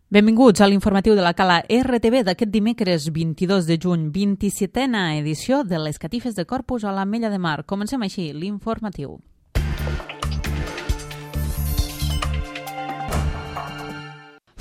Benvinguts a l'informatiu de la Cala RTV d'aquest dimecres 22 de juny, 27a edició de les catifes de Corpus a l'Ametlla de Mar. Comencem així l'informatiu.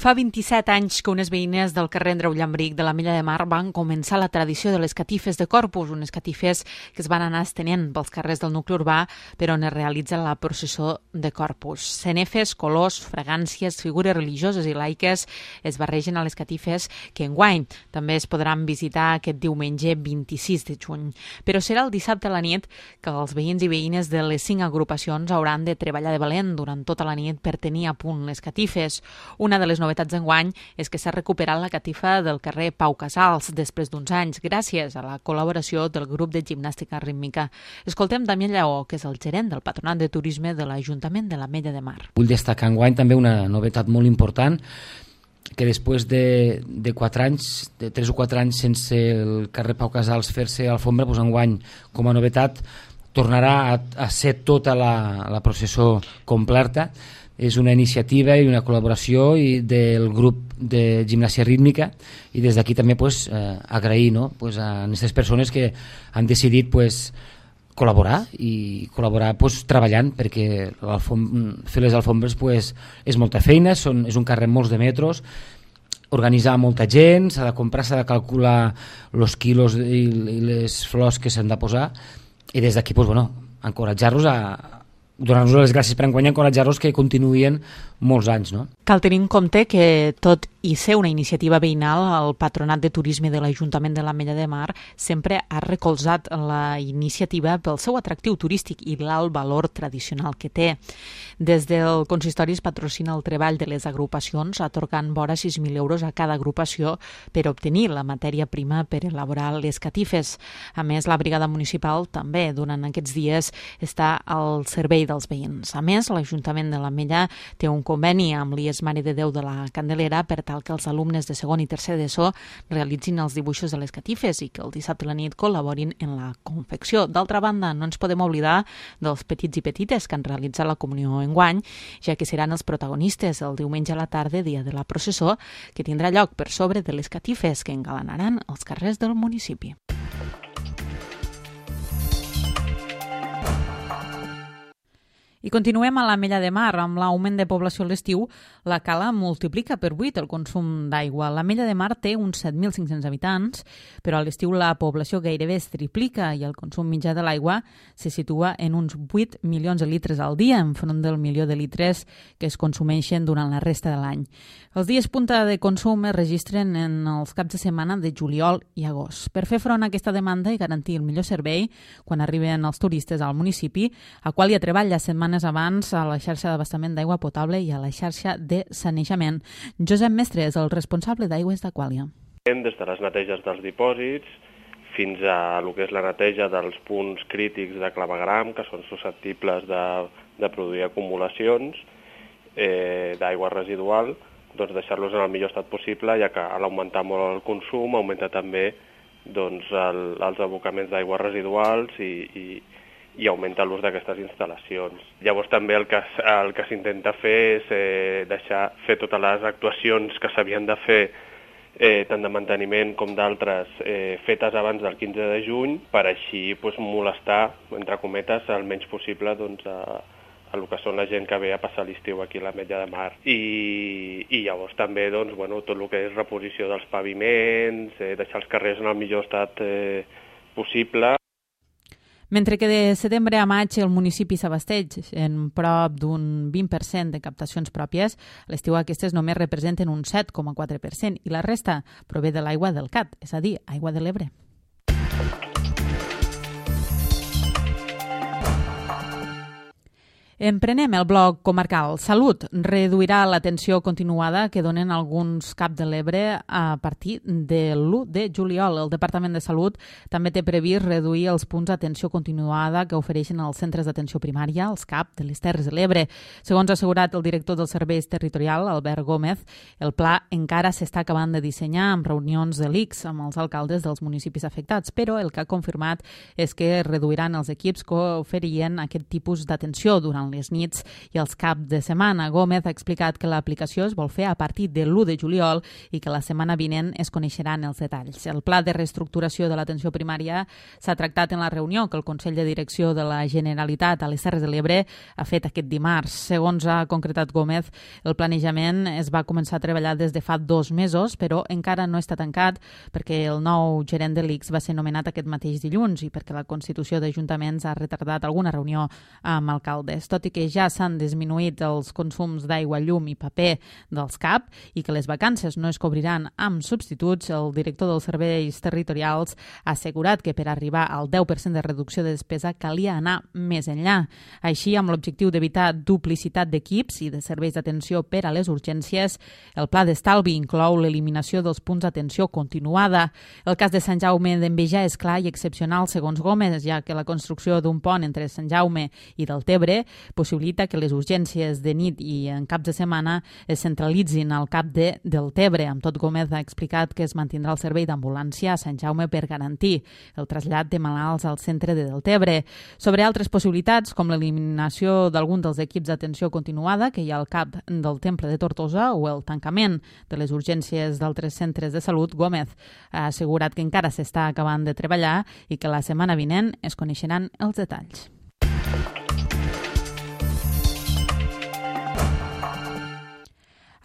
Fa 27 anys que unes veïnes del carrer Andreu Llambric de l'Ametlla de Mar van començar la tradició de les catifes de Corpus, unes catifes que es van anar estenent pels carrers del nucli urbà per on es realitza la processó de Corpus. Cenefes, colors, fragàncies, figures religioses i laiques es barregen a les catifes que enguany també es podran visitar aquest diumenge 26 de juny. Però serà el dissabte a la nit que els veïns i veïnes de les 5 agrupacions hauran de treballar de valent durant tota la nit per tenir a punt les catifes. Una de les novetats d'enguany és que s'ha recuperat la catifa del carrer Pau Casals després d'uns anys, gràcies a la col·laboració del grup de gimnàstica rítmica. Escoltem Damià Lleó, que és el gerent del Patronat de Turisme de l'Ajuntament de l'Ametlla de Mar. Vull destacar enguany també una novetat molt important, que després de 4 anys, de 3 o 4 anys sense el carrer Pau Casals fer-se alfombra, doncs enguany com a novetat tornarà a ser tota la processó completa. És una iniciativa i una col·laboració del grup de gimnàsia rítmica i des d'aquí també agrair a aquestes persones que han decidit col·laborar i col·laborar treballant, perquè fer les alfombres és molta feina, és un carrer amb molts de metres, organitzar molta gent, s'ha de comprar, s'ha de calcular els quilos i les flors que s'han de posar, i des d'aquí encoratjar-los donar-nos les gràcies per enguany, encoratjar-los que continuïn molts anys. No? Cal tenir en compte que tot i ser una iniciativa veïnal, el Patronat de Turisme de l'Ajuntament de l'Ametlla de Mar sempre ha recolzat la iniciativa pel seu atractiu turístic i l'alt valor tradicional que té. Des del consistori es patrocina el treball de les agrupacions, atorgant vora 6.000 euros a cada agrupació per obtenir la matèria prima per elaborar les catifes. A més, la brigada municipal també durant aquests dies està al servei dels veïns. A més, l'Ajuntament de l'Ametlla té un conveni amb l'IES Mare de Déu de la Candelera per tal que els alumnes de segon i tercer d'ESO realitzin els dibuixos de les catifes i que el dissabte a la nit col·laborin en la confecció. D'altra banda, no ens podem oblidar dels petits i petites que han realitzat la comunió enguany, ja que seran els protagonistes el diumenge a la tarda, dia de la processó, que tindrà lloc per sobre de les catifes que engalanaran els carrers del municipi. I continuem a l'Ametlla de Mar. Amb l'augment de població a l'estiu, la Cala multiplica per 8 el consum d'aigua. L'Ametlla de Mar té uns 7.500 habitants, però a l'estiu la població gairebé es triplica i el consum mitjà de l'aigua se situa en uns 8 milions de litres al dia, enfront del milió de litres que es consumeixen durant la resta de l'any. Els dies punta de consum es registren en els caps de setmana de juliol i agost. Per fer front a aquesta demanda i garantir el millor servei quan arriben els turistes al municipi, Aquàlia treballa setmanes abans a la xarxa d'abastament d'aigua potable i a la xarxa de sanejament. Josep Mestre és el responsable d'aigües d'Aquàlia. Des de les neteges dels dipòsits fins a el que és la neteja dels punts crítics de clavegram, que són susceptibles de produir acumulacions d'aigua residual, doncs deixar-los en el millor estat possible, ja que a l'augmentar molt el consum augmenta també els abocaments d'aigües residuals i augmenta l'ús d'aquestes instal·lacions. Llavors també el que s'intenta fer és fer totes les actuacions que s'havien de fer, tant de manteniment com d'altres, fetes abans del 15 de juny, per així molestar, entre cometes, el menys possible a el que són la gent que ve a passar l'estiu aquí a l'Ametlla de Mar. I llavors també tot el que és reposició dels paviments, deixar els carrers en el millor estat possible. Mentre que de setembre a maig el municipi s'abasteix en prop d'un 20% de captacions pròpies, a l'estiu aquestes només representen un 7,4% i la resta prové de l'aigua del CAT, és a dir, aigua de l'Ebre. Emprenem el bloc comarcal. Salut reduirà l'atenció continuada que donen alguns CAP de l'Ebre a partir de l'1 de juliol. El Departament de Salut també té previst reduir els punts d'atenció continuada que ofereixen els centres d'atenció primària, els CAP de les Terres de l'Ebre. Segons ha assegurat el director dels serveis territorial, Albert Gómez, el pla encara s'està acabant de dissenyar amb reunions de l'ICS amb els alcaldes dels municipis afectats, però el que ha confirmat és que reduiran els equips que oferien aquest tipus d'atenció durant durant les nits i els caps de setmana. Gómez ha explicat que l'aplicació es vol fer a partir de l'1 de juliol i que la setmana vinent es coneixeran els detalls. El pla de reestructuració de l'atenció primària s'ha tractat en la reunió que el Consell de Direcció de la Generalitat a les Terres de l'Ebre ha fet aquest dimarts. Segons ha concretat Gómez, el planejament es va començar a treballar des de fa 2 mesos, però encara no està tancat perquè el nou gerent de l'ICS va ser nomenat aquest mateix dilluns i perquè la Constitució d'Ajuntaments ha retardat alguna reunió amb alcaldes. Tot i que ja s'han disminuït els consums d'aigua, llum i paper dels CAP i que les vacances no es cobriran amb substituts, el director dels serveis territorials ha assegurat que per arribar al 10% de reducció de despesa calia anar més enllà. Així, amb l'objectiu d'evitar duplicitat d'equips i de serveis d'atenció per a les urgències, el pla d'estalvi inclou l'eliminació dels punts d'atenció continuada. El cas de Sant Jaume d'Enveja és clar i excepcional, segons Gómez, ja que la construcció d'un pont entre Sant Jaume i Deltebre possibilita que les urgències de nit i en caps de setmana es centralitzin al cap de Deltebre. Amb tot, Gómez ha explicat que es mantindrà el servei d'ambulància a Sant Jaume per garantir el trasllat de malalts al centre de Deltebre. Sobre altres possibilitats, com l'eliminació d'algun dels equips d'atenció continuada que hi ha al cap del Temple de Tortosa o el tancament de les urgències d'altres centres de salut, Gómez ha assegurat que encara s'està acabant de treballar i que la setmana vinent es coneixeran els detalls.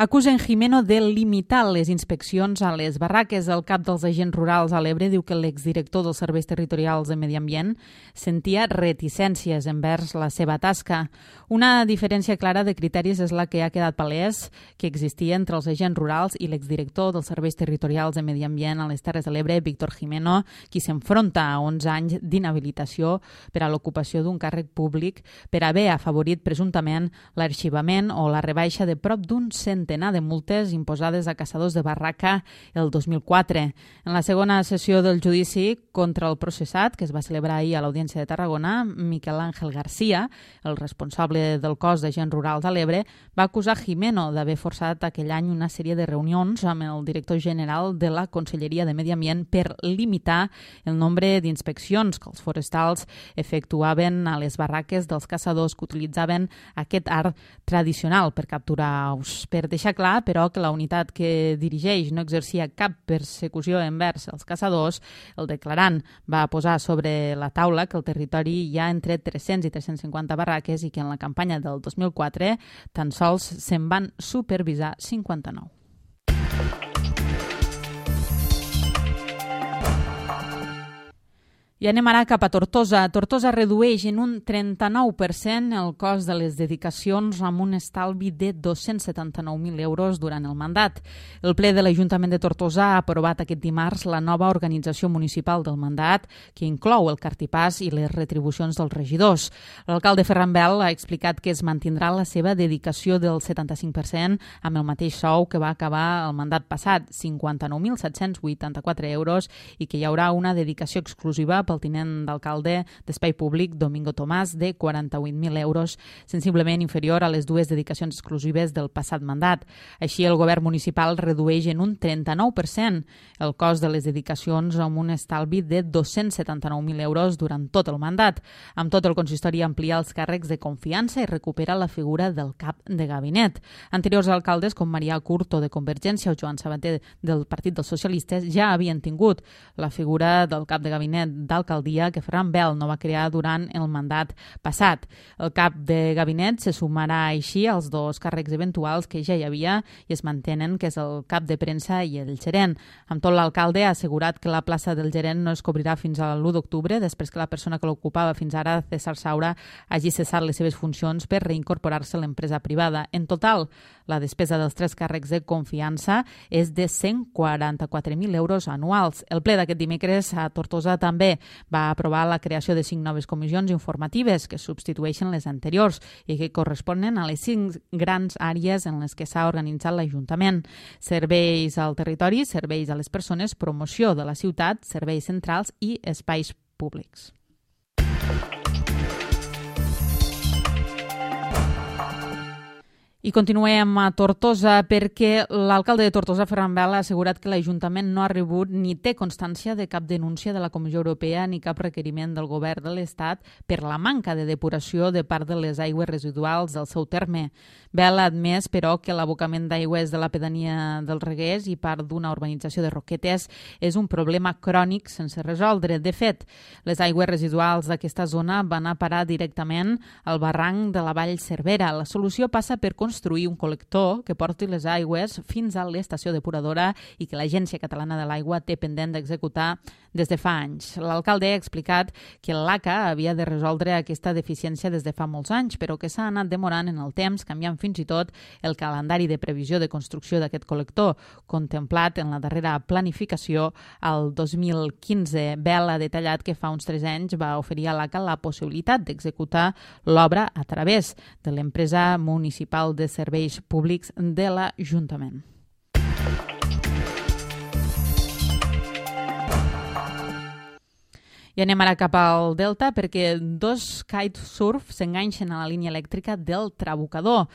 Acusen Gimeno de limitar les inspeccions a les barraques. El cap dels agents rurals a l'Ebre diu que l'exdirector dels serveis territorials de Medi Ambient sentia reticències envers la seva tasca. Una diferència clara de criteris és la que ha quedat palès que existia entre els agents rurals i l'exdirector dels serveis territorials de Medi Ambient a les Terres de l'Ebre, Víctor Gimeno, qui s'enfronta a 11 anys d'inhabilitació per a l'ocupació d'un càrrec públic per haver afavorit presumptament l'arxivament o la rebaixa de prop d'un centenar de multes imposades a caçadors de barraca el 2004. En la segona sessió del judici contra el processat, que es va celebrar ahir a l'Audiència de Tarragona, Miquel Àngel García, el responsable del cos d'agents rurals a l'Ebre, va acusar Gimeno d'haver forçat aquell any una sèrie de reunions amb el director general de la Conselleria de Medi Ambient per limitar el nombre d'inspeccions que els forestals efectuaven a les barraques dels caçadors que utilitzaven aquest art tradicional per capturar aus. Per deixar clar, però, que la unitat que dirigeix no exercia cap persecució envers els caçadors, el declarant va posar sobre la taula que al territori hi ha entre 300 i 350 barraques i que en la campanya del 2004 tan sols se'n van supervisar 59. I anem ara cap a Tortosa. Tortosa redueix en un 39% el cost de les dedicacions amb un estalvi de 279.000 euros durant el mandat. El ple de l'Ajuntament de Tortosa ha aprovat aquest dimarts la nova organització municipal del mandat, que inclou el cartipàs i les retribucions dels regidors. L'alcalde Ferran Bel ha explicat que es mantindrà la seva dedicació del 75% amb el mateix sou que va acabar el mandat passat, 59.784 euros, i que hi haurà una dedicació exclusiva pel tinent d'alcalde d'Espai Públic, Domingo Tomàs, de 48.000 euros, sensiblement inferior a les 2 dedicacions exclusives del passat mandat. Així, el govern municipal redueix en un 39% el cost de les dedicacions amb un estalvi de 279.000 euros durant tot el mandat. Amb tot, el consistori amplia els càrrecs de confiança i recupera la figura del cap de gabinet. Anteriors alcaldes, com Marià Curto de Convergència o Joan Sabater del Partit dels Socialistes, ja havien tingut la figura del cap de gabinet d'alcaldia que Ferran Bel no va crear durant el mandat passat. El cap de gabinet se sumarà així als 2 càrrecs eventuals que ja hi havia i es mantenen, que és el cap de premsa i el gerent. Amb tot, l'alcalde ha assegurat que la plaça del gerent no es cobrirà fins a l'1 d'octubre, després que la persona que l'ocupava fins ara, César Saura, hagi cessat les seves funcions per reincorporar-se a l'empresa privada. En total, la despesa dels 3 càrrecs de confiança és de 144.000 euros anuals. El ple d'aquest dimecres a Tortosa també va aprovar la creació de 5 noves comissions informatives que substitueixen les anteriors i que corresponen a les 5 grans àrees en les que s'ha organitzat l'Ajuntament: serveis al territori, serveis a les persones, promoció de la ciutat, serveis centrals i espais públics. I continuem a Tortosa perquè l'alcalde de Tortosa, Ferran Bel, ha assegurat que l'Ajuntament no ha rebut ni té constància de cap denúncia de la Comissió Europea ni cap requeriment del govern de l'Estat per la manca de depuració de part de les aigües residuals del seu terme. Bel ha admès, però, que l'abocament d'aigües de la pedania del Reguers i part d'una urbanització de Roquetes és un problema crònic sense resoldre. De fet, les aigües residuals d'aquesta zona van a parar directament al barranc de la Vall Cervera. La solució passa per construir un col·lector que porti les aigües fins a l'estació depuradora i que l'Agència Catalana de l'Aigua té pendent d'executar des de fa anys. L'alcalde ha explicat que l'ACA havia de resoldre aquesta deficiència des de fa molts anys, però que s'ha anat demorant en el temps, canviant fins i tot el calendari de previsió de construcció d'aquest col·lector, contemplat en la darrera planificació al 2015. Bel ha detallat que fa uns 3 anys va oferir a l'ACA la possibilitat d'executar l'obra a través de l'empresa municipal de serveis públics de l'Ajuntament. I anem ara cap al Delta perquè 2 kitesurf s'enganxen a la línia elèctrica del Trabucador.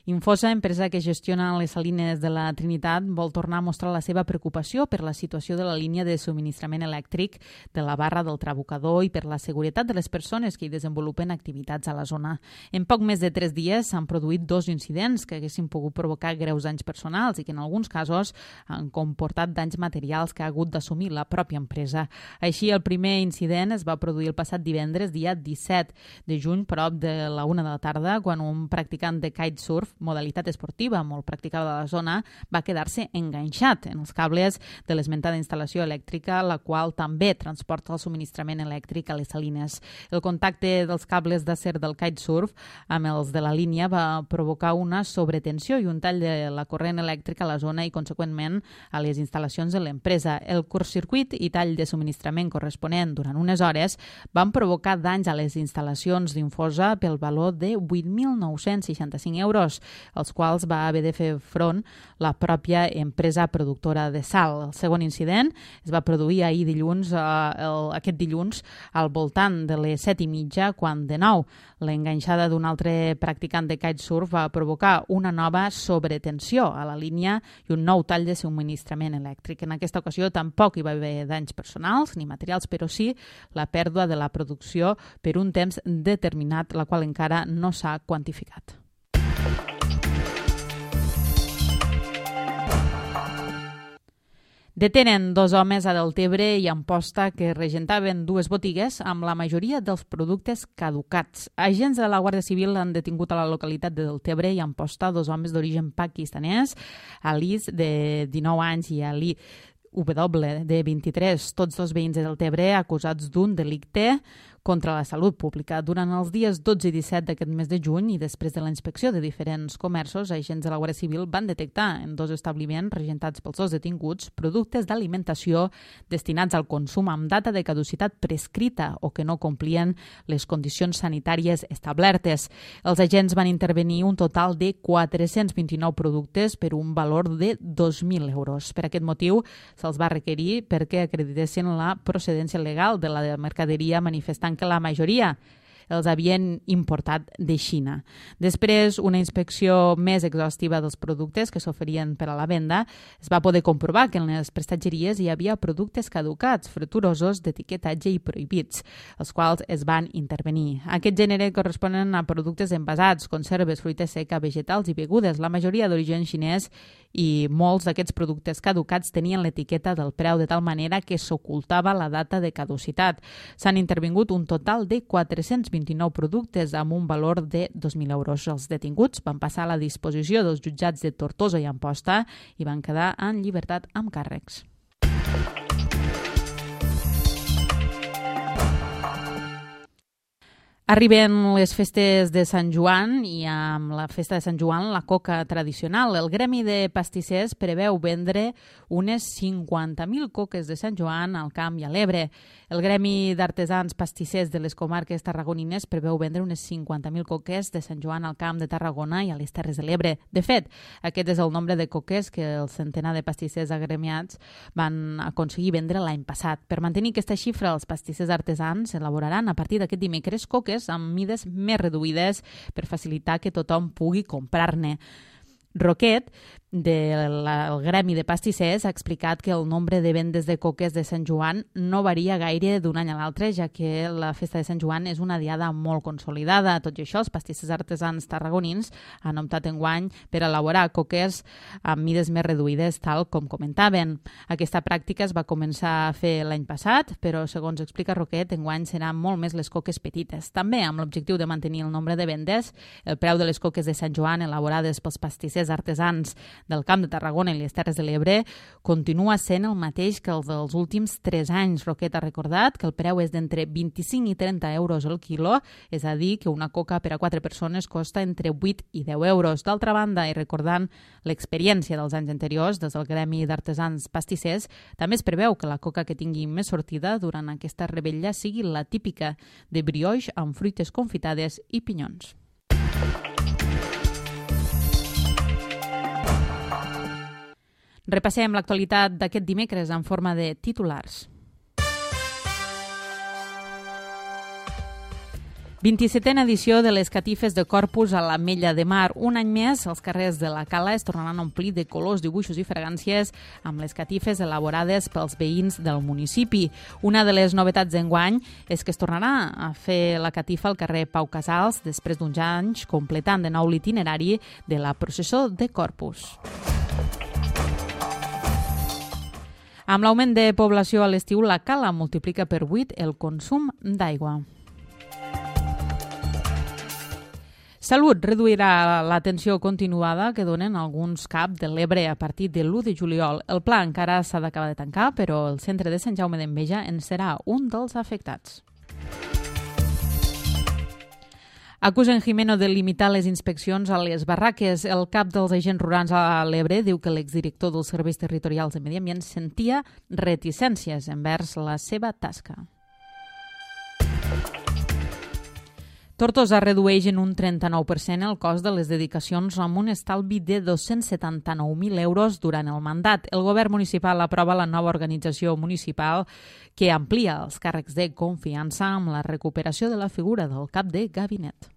Infosa, empresa que gestiona les salines de la Trinitat, vol tornar a mostrar la seva preocupació per la situació de la línia de subministrament elèctric de la barra del Trabucador i per la seguretat de les persones que hi desenvolupen activitats a la zona. En poc més de 3 dies s'han produït 2 incidents que haguessin pogut provocar greus danys personals i que en alguns casos han comportat danys materials que ha hagut d'assumir la pròpia empresa. Així, el primer incident es va produir el passat divendres, dia 17 de juny, prop de la 1 de la tarda, quan un practicant de kitesurf, modalitat esportiva molt practicada a la zona, va quedar-se enganxat en els cables de l'esmentada instal·lació elèctrica, la qual també transporta el subministrament elèctric a les salines. El contacte dels cables d'acer del kitesurf amb els de la línia va provocar una sobretensió i un tall de la corrent elèctrica a la zona i, conseqüentment, a les instal·lacions de l'empresa. El curtcircuit i tall de subministrament corresponent durant unes hores van provocar danys a les instal·lacions d'Infosa pel valor de 8.965 euros, als quals va haver de fer front la pròpia empresa productora de sal. El segon incident es va produir ahir dilluns, aquest dilluns, al voltant de les 7:30, quan de nou l'enganxada d'un altre practicant de kitesurf va provocar una nova sobretensió a la línia i un nou tall de subministrament elèctric. En aquesta ocasió tampoc hi va haver danys personals ni materials, però sí la pèrdua de la producció per un temps determinat, la qual encara no s'ha quantificat. Detenen 2 homes a Deltebre i Amposta que regentaven 2 botigues amb la majoria dels productes caducats. Agents de la Guàrdia Civil han detingut a la localitat de Deltebre i Amposta 2 homes d'origen pakistanès, Alice, de 19 anys, i Ali W, de 23, tots 2 veïns de Deltebre acusats d'un delicte contra la salut pública. Durant els dies 12 i 17 d'aquest mes de juny i després de la inspecció de diferents comerços, agents de la Guàrdia Civil van detectar en 2 establiments regentats pels 2 detinguts productes d'alimentació destinats al consum amb data de caducitat prescrita o que no complien les condicions sanitàries establertes. Els agents van intervenir un total de 429 productes per un valor de 2.000 euros. Per aquest motiu, se'ls va requerir perquè acreditessin la procedència legal de la mercaderia, manifestant que la majoria els havien importat de Xina. Després, una inspecció més exhaustiva dels productes que s'oferien per a la venda, es va poder comprovar que en les prestatgeries hi havia productes caducats, freturosos, d'etiquetatge i prohibits, els quals es van intervenir. Aquest gènere corresponen a productes envasats, conserves, fruita seca, vegetals i begudes, la majoria d'origen xinès, i molts d'aquests productes caducats tenien l'etiqueta del preu de tal manera que s'ocultava la data de caducitat. S'han intervingut un total de 429 productes amb un valor de 2.000 euros. Els detinguts van passar a la disposició dels jutjats de Tortosa i Amposta i van quedar en llibertat amb càrrecs. Arriben les festes de Sant Joan i amb la festa de Sant Joan la coca tradicional. El Gremi de Pastissers preveu vendre unes 50.000 coques de Sant Joan al Camp i a l'Ebre. El Gremi d'Artesans Pastissers de les comarques tarragonines preveu vendre unes 50.000 coques de Sant Joan al Camp de Tarragona i a les Terres de l'Ebre. De fet, aquest és el nombre de coques que el centenar de pastissers agremiats van aconseguir vendre l'any passat. Per mantenir aquesta xifra, els pastissers artesans elaboraran a partir d'aquest dimecres coques coques amb mides més reduïdes per facilitar que tothom pugui comprar-ne. Roquet, del Gremi de Pastissers, ha explicat que el nombre de vendes de coques de Sant Joan no varia gaire d'un any a l'altre, ja que la festa de Sant Joan és una diada molt consolidada. Tot i això, els pastissers artesans tarragonins han optat enguany per elaborar coques amb mides més reduïdes, tal com comentaven. Aquesta pràctica es va començar a fer l'any passat, però, segons explica Roquet, enguany seran molt més les coques petites. També, amb l'objectiu de mantenir el nombre de vendes, el preu de les coques de Sant Joan elaborades pels pastissers artesans del Camp de Tarragona i les Terres de l'Ebre continua sent el mateix que el dels últims 3 anys. Roquet ha recordat que el preu és d'entre 25 i 30 euros el quilo, és a dir, que una coca per a 4 persones costa entre 8 i 10 euros. D'altra banda, i recordant l'experiència dels anys anteriors des del Gremi d'Artesans Pastissers, també es preveu que la coca que tingui més sortida durant aquesta revetlla sigui la típica de brioix amb fruites confitades i pinyons. Repassem l'actualitat d'aquest dimecres en forma de titulars. 27a edició de les catifes de Corpus a l'Ametlla de Mar. Un any més, els carrers de la Cala es tornaran a omplir de colors, dibuixos i fragàncies amb les catifes elaborades pels veïns del municipi. Una de les novetats d'enguany és que es tornarà a fer la catifa al carrer Pau Casals després d'uns anys completant de nou l'itinerari de la processó de Corpus. Amb l'augment de població a l'estiu, la Cala multiplica per 8 el consum d'aigua. Salut reduirà l'atenció continuada que donen alguns CAP de l'Ebre a partir de l'1 de juliol. El pla encara s'ha d'acabar de tancar, però el centre de Sant Jaume d'Enveja en serà un dels afectats. Acusen Jimeno de limitar les inspeccions a les barraques. El cap dels agents rurals a l'Ebre diu que l'exdirector dels Serveis Territorials de Medi Ambient sentia reticències envers la seva tasca. Tortosa redueix en un 39% el cost de les dedicacions amb un estalvi de 279.000 euros durant el mandat. El govern municipal aprova la nova organització municipal que amplia els càrrecs de confiança amb la recuperació de la figura del cap de gabinet.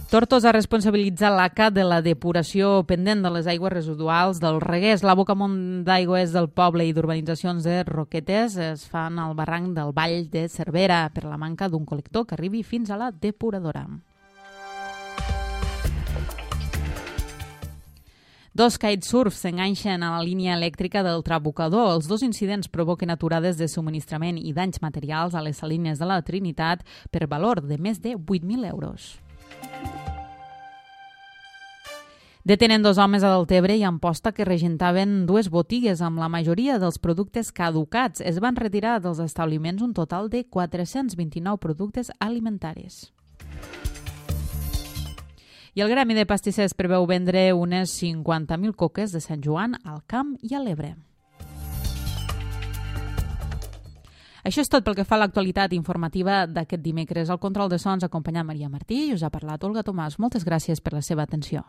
Tortosa responsabilitza l'ACA de la depuració pendent de les aigües residuals del Reguers. L'abocament d'aigües del poble i d'urbanitzacions de Roquetes es fan al barranc del Vall de Cervera per la manca d'un col·lector que arribi fins a la depuradora. 2 kitesurfs s'enganxen a la línia elèctrica del Trabucador. Els 2 incidents provoquen aturades de subministrament i danys materials a les salines de la Trinitat per valor de més de 8.000 euros. Detenen 2 homes a Deltebre i Amposta que regentaven 2 botigues amb la majoria dels productes caducats. Es van retirar dels establiments un total de 429 productes alimentaris. I el Gremi de Pastissers preveu vendre unes 50.000 coques de Sant Joan al Camp i a l'Ebre. Això és tot pel que fa a l'actualitat informativa d'aquest dimecres. Al control de sons acompanyant Maria Martí i us ha parlat Olga Tomàs. Moltes gràcies per la seva atenció.